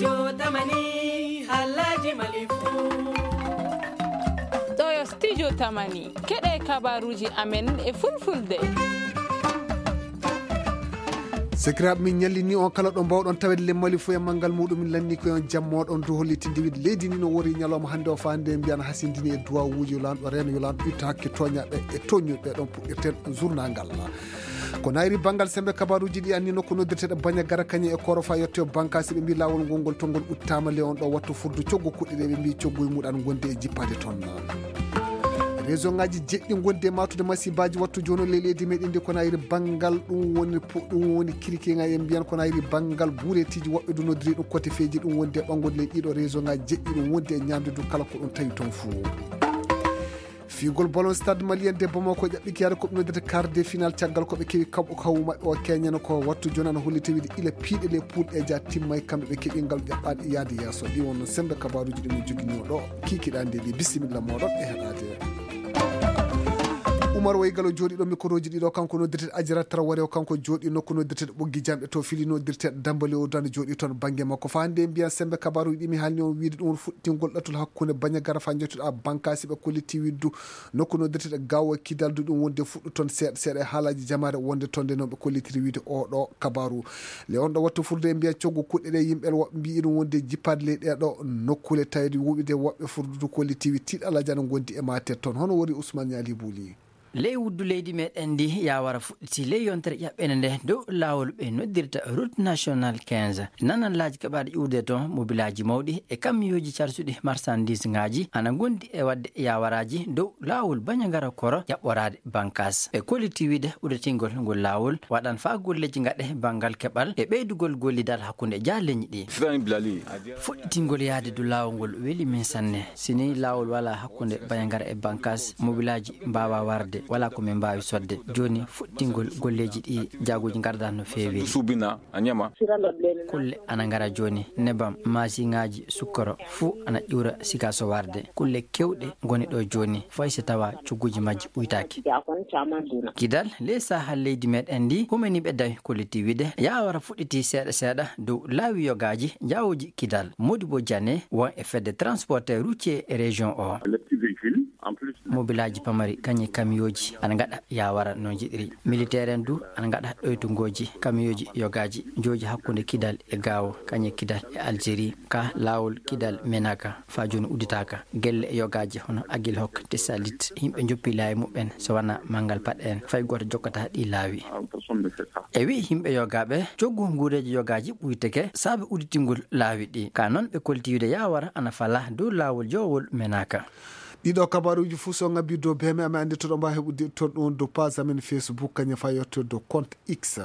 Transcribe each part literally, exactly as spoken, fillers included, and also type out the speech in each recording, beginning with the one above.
Jotamani, Alhaji Malifu. Ɗo yo Studio Tamani, keɗe kabaruji amen e fulfulde. Sekiraaɓe, min ñallini on kala ɗo mbawɗon tawede lemmali fof e manngal muɗum. Min lanni ko on jammoɗon du hollitinde wiide leydi ndi no wori ñalawma hannde o, fande mbiyan hasindini e duwawuji yo lanɗo reno, yo lanɗo itta hakke tooñaɓe e tooñuɓe. Ɗon puɗɗirten journal ngal. Ko nayri banngal sembe kabaruji ɗi anni nokku noddirteɗo Bañagara kañum e Korofa yetto bankasi ɓe mbi lawol ngol ngol tongol uttama le on ɗo wattu furdu coggu kuɗɗe ɗe ɓe mbi coggu e muɗan gonde e jippade toon. Réseau ngaji jeɗɗi gondi e matude masibaji wattu jono le leydi meɗen ndi ko nayri banngal ɗum woni pu-, ɗum woni kirikinga e mbiyan ko nayri banngal buretiji woɓɓe du noddiri ɗum kote feji ɗum wondi e ɓangude le ɗiɗo réseau ngaji jeɗɗi ɗum wondi e ñamde du kala ko ɗum tawi toon fuu. Fiigol ballon stade malien de Bamako ƴaɓɓiki yaade ko ɓe noddata quart de final caggal ko ɓe kewi kaɓo kawu maɓɓe o keñana ko wattu jonan holli tawide ila piiɗe le poule e ja timmay kamɓe ɓe keɓi ngal ƴaɓɓaɗe yaade yeeso. Ɗi wonno sembe kabaruji ɗi min jogini o ɗo. Kikiɗa nde ɗi bisimilla moɗon e heɗade. Umar Waygalo jooɗiɗo mikoroji ɗiɗo kanko noddirte Ajara Traoré o kanko jooɗi nokku noddirte ɓoggi jamɓe to fili noddirte Dambali o dan jooɗi toon bangge makko fa hande mbiyan sembe kabaruji ɗi mi halni on wiide ɗum fuɗɗingol ɗatul hakkunde Bañagara fa jottuɗa bankasi ɓe kolliti widdu nokku noddirte gawo kidal du ɗum wonde fuɗɗu toon seeɗa seeɗa e haalaji jamaare wonde toon nde noon ɓe kollitiri wiide o ɗo kabaru. Le on ɗo wattu furde e mbiya coggu kuɗɗe ɗe yimɓe woɓɓe mbiyi ɗum wonde jippaade ley ɗeɗo nokkule tawde wuɓide woɓɓe furdudu kollitiwi tiiɗalaji ana gondi e matet toon hono wori Ousmane Niali Bouli. Ley wuddu leydi meɗen ndi yawara fuɗɗiti ley yontere ƴaɓɓende nde dow laawol ɓe noddirta route national quinze. Nanan laaji keɓaaɗi ƴuurde toon mobilaaji mawɗi e kamiyooji carsuɗi marsandiis ngaaji ana gondi e waɗde yawaraaji dow laawol Bañagara Koro ƴaɓɓoraade bankas. Ɓe kolliti wiide udditgol ngol laawol waɗan faa golleeji ngaɗe banngal keɓal e ɓeydugol gollidal hakkunde jaaleñi ɗi. Fuɗɗitingol yaade du laawol ngol weli min sanne. Si ni laawol wala hakkunde Bañagara e bankas, mobilaaji mbaawa warde, wala ko min mbaawi sodde. Jooni fuɗɗitingol golleeji ɗi jaaguuji ngardan no feewi. Kulle ana ngara jooni, nebam, maasiŋaaji, sukkoro, fuu ana ƴuura siga so warde. Kulle keewɗe ngoni ɗo jooni, fay so tawa cogguuji majji ɓuytaaki. Kidal, ley saha leydi meɗen ndi, humaniiɓe dawi kolliti wiide, yawara fuɗɗiti seeɗa seeɗa dow laawi yogaaji, jaawuuji Kidal. Modibo Diané, won e fedde transporteur routier région o. Mobilaaji pamari, kañe kamiyooji, ana ngaɗa yawara no njiɗiri. Militaire en du, ana ngaɗa ɗoytungooji, kamiyooji yogaaji, jooji hakkunde Kidal e Gaawo, kañe Kidal e Algérie, ka laawol Kidal Menaka, faa jooni udditaaka. Gelle e yogaaji hono Agilhok, Tessalit, yimɓe njoppi laawi muɓɓen, so wanaa manngal paɗe en, fay gooto jokkataa ɗi laawi. E wi'i yimɓe yogaaɓe, coggu nguureeji yogaaji ɓuyteke saabe udditingol laawi ɗi. Ka noon ɓe kolti wiide yawara ana fala dow laawol jowol Menaka. Ɗiɗo kabaruuji fuu so ngabbi dow B M M anndi to ɗo mbaawi heɓude toon ɗum dow page amen Facebook, kañum faa yetto dow compte X.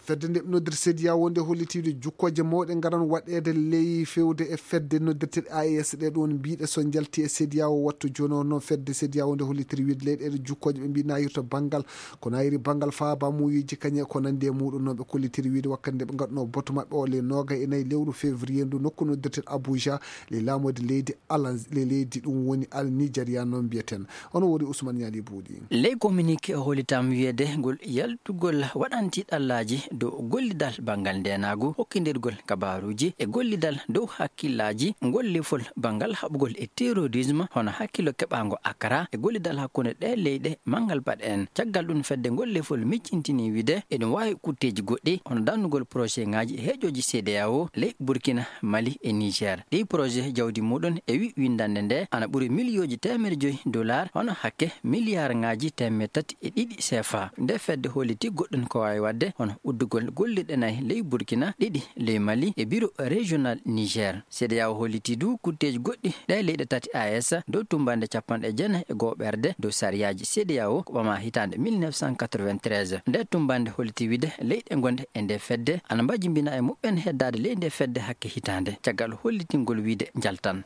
Fedde nde ɓe noddirta CEDEAO nde hollitiiɗo jukkooje mawɗe ngaran waɗeede ley fewde e fedde noddirteeɗe A E S ɗe ɗoon mbiiɗe so njalti e CEDEAO wattu jooni o noon fedde CEDEAO nde hollitiri wiide leyɗeele jukkooje ɓe mbii nayirta banngal ko nayiri banngal faaba muuyeeji kañe ko nanndi e muuɗum noon ɓe kollitiri wiide wakkati nde ɓe ngaɗunoo boto maɓɓe o le nooga e nayi lewru février ndu nokku noddirteeɗo Abuja le laamoyde leydi Alan le leydi ɗum woni Al Nigeria noon mbiyaten. Ono wori Ousmane Niali Buuɗi. Ley communiqué o hollitam wiyeede ngol yaltugol waɗanti ɗallaaji dow gollidal banngal ndeenaagu, hokkindirgol kabaaruuji e gollidal dow hakkillaaji, ngol lefol banngal haɓugol e terrorisme, hono hakkillo keɓaango Accra e gollidal hakkunde ɗee leyɗe manngal baɗe en. Caggal ɗum fedde ngol lefol miccintini wiide eɗum waawi kutteeji goɗɗi, hono dannugol projet ŋaaji heeƴooji CEDEAO ley Burkina, Mali e Niger. Ɗii projet jawdi muɗum e wi winndannde nde ana ɓuri miliyooji teemedde joyi dollar, hono hakke miliyaar ŋaaji teemedde tati e ɗiɗi C F A. Nde fedde holliti goɗɗum ko waawi waɗde, hono uddugol gollirɗe nayi ley Burkina, ɗiɗi ley Mali e biro régional Niger. CEDEAO holliti du kutteeji goɗɗi ɗe leyɗe tati A E S dow tummbannde capanɗe jeenayi e goo ɓerde dow sariyaaji CEDEAO ko ɓama hitaande mille neuf cent quatre-vingt-treize. Nde tummbannde holliti wiide leyɗe gonɗe e nde fedde ana mbajimbina e muɓɓen heddaade ley nde fedde hakke hitaande. Caggal hollitingol wiide njaltan.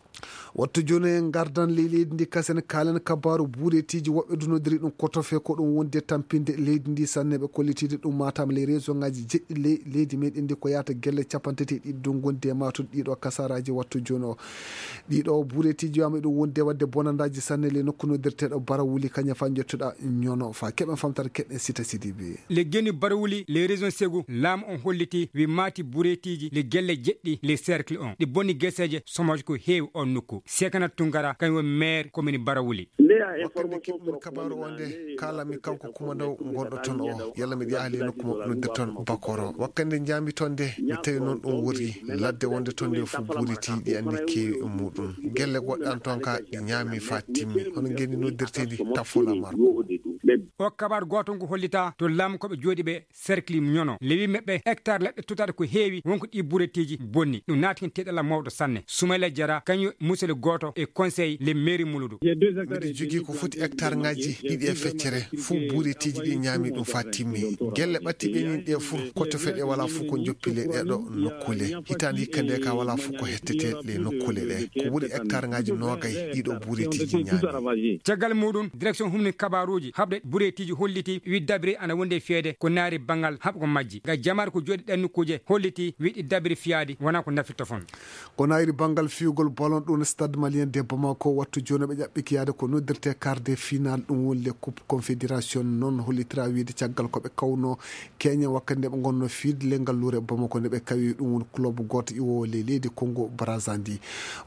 Wattu jooni en ngardan ley leydi ndi kasen kaalen kabaaru buureetiiji woɓɓe dunodiri ɗum kotofe ko ɗum wonde tampinde leydi ndi sanne ɓe kollitiide ɗum Matam ley réseau Aji jeɗɗi ley-, leydi meɗen ndi ko yahata gelle capanɗe tati e ɗiɗi ɗum gondi e maatude ɗiɗo kasaraji wattu jooni o. Ɗiɗo bureetiji wiyama ɗum wondi e wadde bonandaaji sanne ley nokku noddirteeɗo Barawuli kañum fa jottuɗa ñono fa keɓen famtata keɗen sita sidi bi. Le geni Barawuli le région Segu laamu on holliti wi maati bureetiji le gelle jeɗɗi le cercle on ɗi bonni geseeje somoje ko heewi on nokku. Sekana Tungara kañum woni maire commune Barawuli. Wakkande keɓmi kabaaru o nde kaalami kanko kumandaw gonɗo toon o, yalla miɗo yaha ley nokku mo noddirton Bakoro. Wakkande njaami toon nde mi tawi noon ɗum wori ladde wonde toon nde fof buuriti ɗi anndi keewi e muɗum. Gelle goɗɗe an toon ka ɗi ñaami fa timmi. Hono ngeni noddirteeɗi Tafola Marko. O kabaaru gooto ngu hollita to laamu ko ɓe jooɗi ɓe cercle ñono. Lewi meɓɓe hectare leɗɗe tutaɗe ko heewi wonko ɗi buretiji bonni. Ɗum naati hen teɗala mawɗo sanne. Sumayla Jara kañum musele gooto e conseil le mairie Muludu. Miɗo jogii ko foti hectare ngaji ɗiɗi e feccere, fof buretiji ɗi ñaami ɗum fa timmi. Gelle ɓattiɓe min ɗe fof ko to feɗe wala fof ko joppi le ɗeɗo nokkule. Hitaande hikka nde ka wala fof ko hettete le nokkule ɗe. Ko ɓuri hectare ngaji nogay ɗiɗo buretiji ñaami. Caggal muɗum, direction humni kabaruji haɓde buretiji holliti wi dabri ana wonde fiyede ko naari bangal haɓgo majji. Ga jamar ko jooɗi ɗen nokkuje holliti wi ɗi dabri fiyadi wona ko nafirta fon. Ko nayri banngal fiyugol ballon ɗum Stade Malien de Bamako wattu jooni ɓe ƴaɓɓiki yaade ko noddirte quart de finale ɗum woni le coupe confédération noon hollitira wiide caggal ko ɓe kawno Kenya wakkati nde ɓe ngonno fiide le ngalluure Bamako nde ɓe kawi ɗum woni club gooto iwoowo ley leydi Congo Brazza ndi.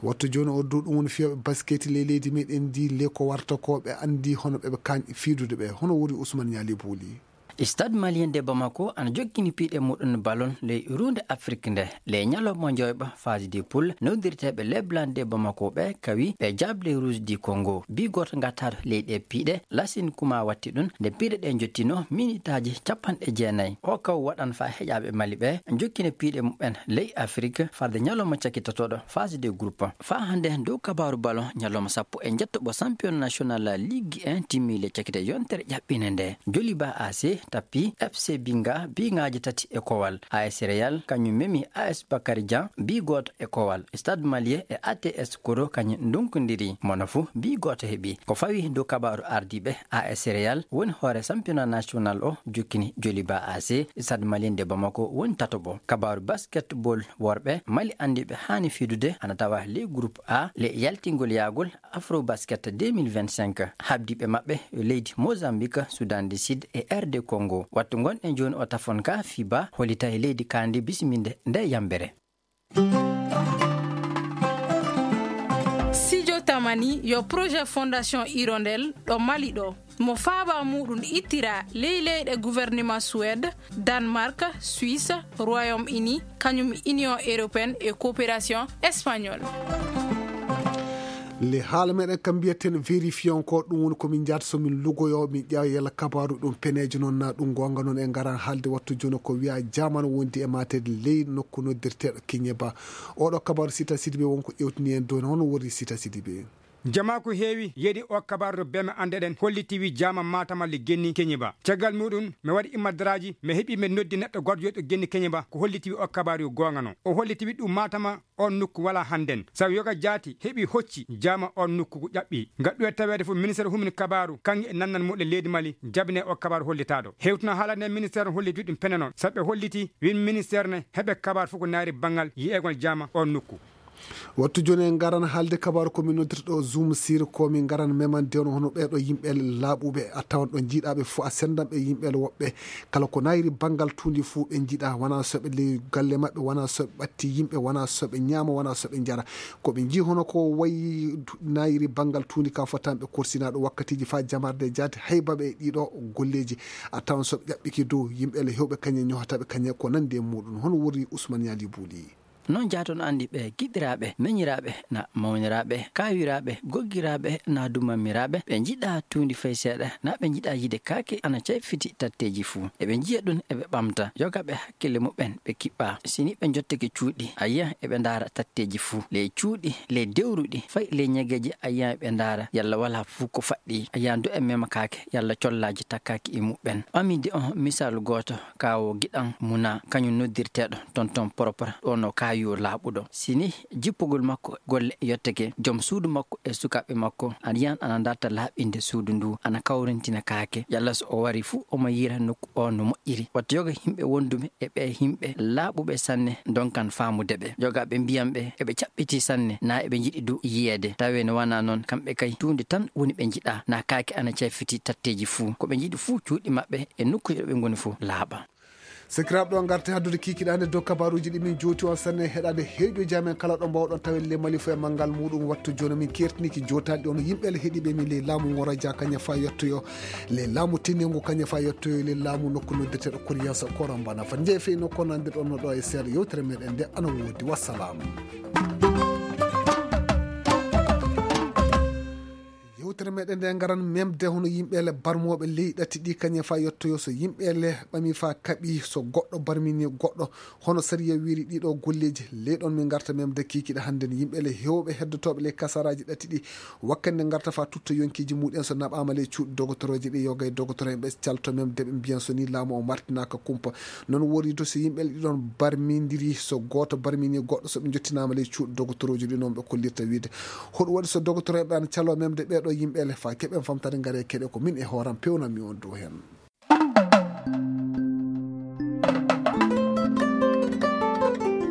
Wattu jooni o du ɗum woni fiyooɓe basket ley leydi meɗen ndi le ko warta ko ɓe anndi hono ɓe ɓe kañ fiidude ɓe hono woni Ousmane Niali Bouli. Stade Malien de Bamako ana jokkini piiɗe muɗum ballon ley runde Afrik nde. Ley ñalawma joyɓa phase de poule newdirteeɓe Leblanc de Bamako ɓe kawi ɓe Diable Rouge du Congo. Bi gooto ngattaɗo ley ɗe piiɗe, Lassine Kuma watti ɗum nde piiɗe ɗe jottino minitaaji capanɗe jeenayi. O kaw waɗan fa heƴaaɓe Mali ɓe jokkina piiɗe muɓɓen ley Afrik farde ñalawma cakitatoɗo phase de groupe. Fa hannde dow kabaaru ballon ñalawma sappo e njettoɓo champion national Ligue un timmi le cakite yontere ƴaɓɓine nde. Joliba A C tappi F C Binga biŋaaji tati e kowal. A S Real kañum memi A S Bakary Dieng bi gooto e kowal. Stade Malien e A T S Koro kañum ndunkondiri. Mono fuu bi gooto heɓi. Ko fawi dow kabaaru ardiiɓe A S Real woni hoore championnat national o jokkini Joliba A C. Stade Malien de Bamako woni tatoɓo. Kabaaru basketball worɓe Mali andiiɓe haani fiidude ana tawa ley groupe A le yaltingol yaagol Afrobasket deux mille vingt-cinq, habdiiɓe maɓɓe yo leydi Mozambique, Soudan du Sud e R D Congo. Wattu ngonɗen jooni o tafon ka fiba hollitay leydi kaandi bisiminde nde yambere. Sijo Tamani yo projet Fondation Hirondelle ɗo Mali ɗo. Mo faaba muɗum ittira ley leyɗe gouvernement Suède, Danemark, Suisse, Royaume-Uni, kañum Union Européenne e Coopération Espagnole. Le haala meɗen kam mbiyaten vérifié encore ɗum woni ko min njaata so min lugoyo min ƴeewa yalla kabaru ɗum penejo noon na ɗum gonga noon e ngaran haalde wattu jooni ko wiya jaman wondi e matede ley nokku noddirteɗo Kiñeba. Oɗo kabaru sita sidi ɓe wonko ƴewtini en dooni hono woni sita sidi ɓe. Jama ko heewi yeɗi o kabaru to beme anndeɗen holliti wi jaama matama le genni keñiba. Caggal muɗum mi waɗi immadaraaji mi heɓi mi noddi neɗɗo gooto jooɗo genni keñiba ko holliti wi o kabaru yo goongano. O holliti wi ɗum matama on nokku wala hannden. Sabu yoga jaati heɓi hocci jaama on nokku ko ƴaɓɓi. Ngaɗɗu e taweede fof ministére humni kabaru kanŋe e nannan muɗum leydi Mali jabine o kabaru hollitaaɗo. Hewtino haalande ministére holliti wi ɗum pene noon. Sabu ɓe holliti win ministére ne heɓe kabaru fof ko naari banngal yi'egol jaama on nokku. Wattu jooni en ngaran haalde kabaaru ko min noddirta ɗo Zoom sir ko min ngaran memande on hono ɓeeɗo yimɓe laaɓuɓe a tawan ɗo jiiɗaɓe fof a sendan ɓe yimɓe woɓɓe kala ko nayri banngal tuundi fof ɓe jiiɗa wona soɓe ley galle maɓɓe wona soɓe ɓatti yimɓe wona soɓe ñaama wona soɓe njara ko ɓe jii hono ko wayi nayri banngal tuundi ka fotan ɓe korsinaɗo wakkatiji fa jamarde jaati haybaɓe e ɗiɗo golleji a tawan soɓe ƴaɓɓiki dow yimɓe le hewɓe kañe ñohataɓe kañe ko nandi e muɗum hono wori Ousmane Yali Bouli. Noon jaaton anndi ɓe giɗiraaɓe, meñiraaɓe, na mawniraaɓe, kaawiraaɓe, goggiraaɓe, na dumammiraaɓe, ɓe njiɗaa tuundi fay seeɗa, na ɓe njiɗaa yiide kaake ana cayfiti tatteeji fuu. Eɓe njiya ɗum, eɓe ɓamta. Yoga ɓe hakkille muɓɓen, ɓe kiɓɓaa. Si ni ɓe njottake cuuɗi, a yiya eɓe ndaara tatteeji fuu. Ley cuuɗi, ley dewruɗi, fay ley ñageeji, a yiya eɓe ndaara yalla walaa fuu ko faɗɗi. A yiya do e mema kaake, yalla collaaji takkaaki e muɓɓen. Ɓaminde on misaalu gooto, kaawo giɗan muna, kañum noddirteeɗo tonton propre, ɗo no kaawi. yo laaɓuɗo. Si ni jippugol makko golle yottake, joom suudu makko e sukaaɓe makko ana yiyan ana darta laaɓinde suudu ndu, ana kawrintina kaake. Yalla so o wari fuu omo yiira nokku o no moƴƴiri. Wata yoga yimɓe wonduɓe e ɓee yimɓe laaɓuɓe sanne ndonkan faamude ɓe. Yogaaɓe mbiyan ɓe eɓe caɓɓitii sanne, naa eɓe njiɗi du yiyeede. Tawee no wanaa noon, kamɓe kay tuunde tan woni ɓe njiɗaa, naa kaake ana cayfitii tatteeji fuu. Ko ɓe njiɗi fuu cuuɗi maɓɓe e nokkuuje ɗo ɓe ngoni fuu laaɓa. Sakiraaɓe, ɗo ngarten haddude kiikiɗaande dow kabaaruuji ɗi min jooti on sanne heɗaade heeƴooji amen kala ɗo mbaawɗon tawee le mali fof e manngal muuɗum. Wattu jooni min keertiniiki jootaade on yimɓe le heɗiiɓe min ley laamu ngoo raja kañe faa yottoyoo, ley laamu teniingu kañe faa yottoyoo, ley laamu nokku noddirteeɗo Koriyansa Korambana. Fat njee fey nokku nandirɗon no ɗo e seeɗa yewtere meɗen nde ana woodi. Wassalam. Yewtere meɗen nde ngaran memde hono yimɓe le barmooɓe ley ɗati ɗi kañe faa yottoyoo so yimɓe le ɓami faa kaɓi so goɗɗo barmini goɗɗo. Hono sariya wiri ɗiɗo golleeji ley ɗon min ngarta memde kiikiɗe hannden yimɓe le heewɓe heddotooɓe ley kasaraaji ɗati ɗi wakkande ngarta faa tutta yonkiiji muɗen so naɓaama ley cuuɗi dogotorooji ɗi yoga e dogotoro en ɓe calto memde ɓe mbiyan so ni laamu o martinaaka kumpa. Noon wori to so yimɓe le ɗiɗon barmindiri so gooto barmini goɗɗo so ɓe njottinaama ley cuuɗi dogotorooji ɗi noon ɓe kollirta wiide hoɗum waɗi so dogotoro en ɓe ana caloo memde ɓee ɗo yimɓe le faa keɓen famtare ngare keɗe ko min e hooram pewnanmi on dow heen.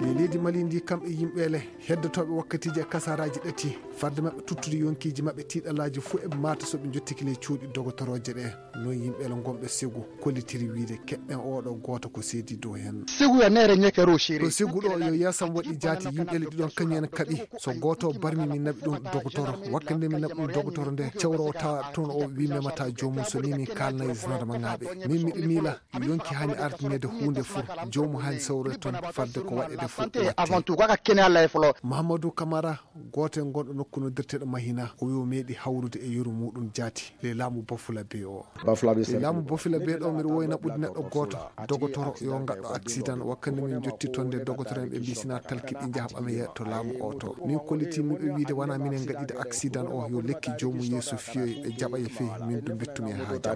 Ley leydi Mali ndi kamɓe yimɓe le heddotooɓe wakkatiiji e kasaraaji ɗati farde maɓɓe tuttude yonkiiji maɓɓe tiiɗalaaji fuu eɓe maata so ɓe njottike ley cuuɗi dogotorooje ɗe. Noon yimɓe le ngonɓe sigu kollitiri wiide keɗɗen oo ɗo gooto ko seedi dow heen. Sigu ya nere nyeke ro shiri. Ɗo sigu ɗo yo yasam waɗi jaati yimɓe le ɗiɗon kañum en kaɓi so gooto barmi min naɓi ɗum dogotoro wakkande min naɓi ɗum dogotoro nde cawro tawa toon o wi memata joomum so ni min kaalnayi zandarma ŋaaɓe min miɗo miila yonki hani ardineede huunde fuu joomu hani sawroye toon fadde ko waɗeede fuu avant tout kaka kene allah e folo. Mahamadou Camara gooto e gonɗo nokku noddirteeɗo Mahina o wi o meeɗi hawrude e yeru muɗum jaati le laamu Bafula Bey o. Bafula Bey le laamu Bafula Bey ɗo miɗo woyna ɓuddi neɗɗo gooto dogotoro yo ngaɗɗo accident wakkande min jotti toon nde dogotoro en ɓe mbi sina talki ɗi njaha ɓameya to laamu o to min kolliti min ɓe wiide wona minen ngaɗide accident o yo lekki joomum yeeso fiyoy ɓe jaɓa e fey min du mbettumi e haaja.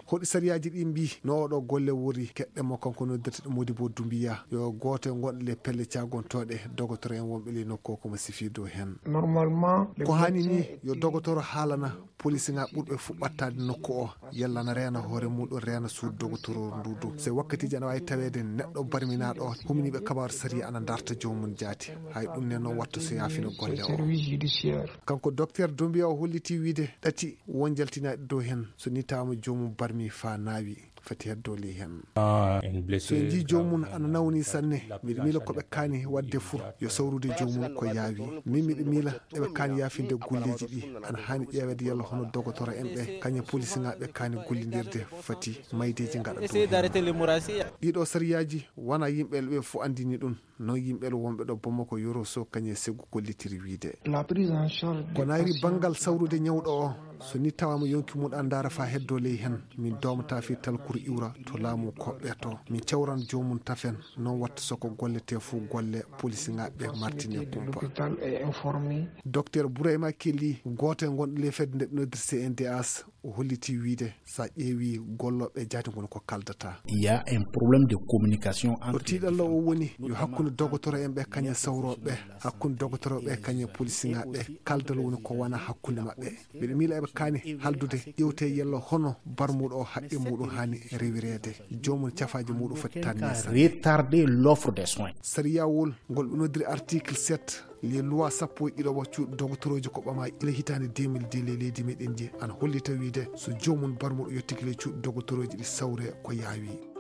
Hoɗi sariyaaji ɗi mbi no oɗo golle wori keɗɗe mo kanko noddirteɗo Modibo Dumbiya yo gooto e gonɗo le pelle caagontooɗe dogotoro en wonɓe ley nokku o komo sifi dow heen. Normalement ko hani ni yo dogotoro haalana polisiŋaaɓe ɓurɓe fuu ɓattaade nokku o yalla na reena hoore muɗum reena suudu dogotoro ndu du se wakkatiiji ana waawi taweede neɗɗo barminaaɗo o huminiiɓe kabaaru sariya ana darta joomum jaati hay ɗum ne noon watta so yaafino golle o. Kanko docteur Dumbiya o holliti wiide ɗati won jaltinaaɗi dow heen so ni tawaama joomum barmi faa naawi fati heddo ley heen. So en njii joomum ana nawni sanne miɗo miila ko ɓe kaani waɗde fuu yo sawrude joomum ko yaawi min miɗo miila eɓe kaani yaafinde golleeji ɗi ana haani ƴeeweede yalla hono dogotoro en ɓe kañe polisiŋaaɓe kaani gollindirde fati maydeeji ngaɗa dow heen. Ɗiɗo sariyaaji wona yimɓe ɓe fof anndini ɗum. Noon yimɓe wonɓe ɗo Bamako yoro so kañe segu kollitiri wiide ko nayri banngal sawrude ñawɗo o so ni tawaama yonki mum andaara faa heddo ley heen min doomata fii talkuru iwra to laamu koɓɓe to min cawran joomum tafen noon watta soko gollete fuu golle polisiŋaaɓe ɓe martine kumpa. Docteur Bourayma Kelly gooto e gonɗo ley fedde nde ɓe noddir C N D H o holliti wiide so a ƴeewi gollooɓe jaati ngoni ko kaldata. Il y a un problème de communication entre o tiiɗallo o woni yo hakkunde dogotoro en ɓe kañe sawrooɓe hakkunde dogotoro ɓe kañe polisiŋaaɓe kaldal woni ko wona hakkunde maɓɓe. Mbiɗo miila eɓe kaani haldude ƴewte yello hono barmuɗo o haqqe muɗum haani rewireede joomum cafaaji muɗum foti tanni retarder l'offre des soins. Sariyawol ngol ɓe noddiri article sept les lois sappo e ɗiɗo wa cuuɗi dogotorooji ko ɓama ila hitaande deux mille deux le leydi meɗen ndi ana hollita wiide so joomum barmuɗo yettiki le cuuɗi dogotorooji ɗi sawre ko yaawi.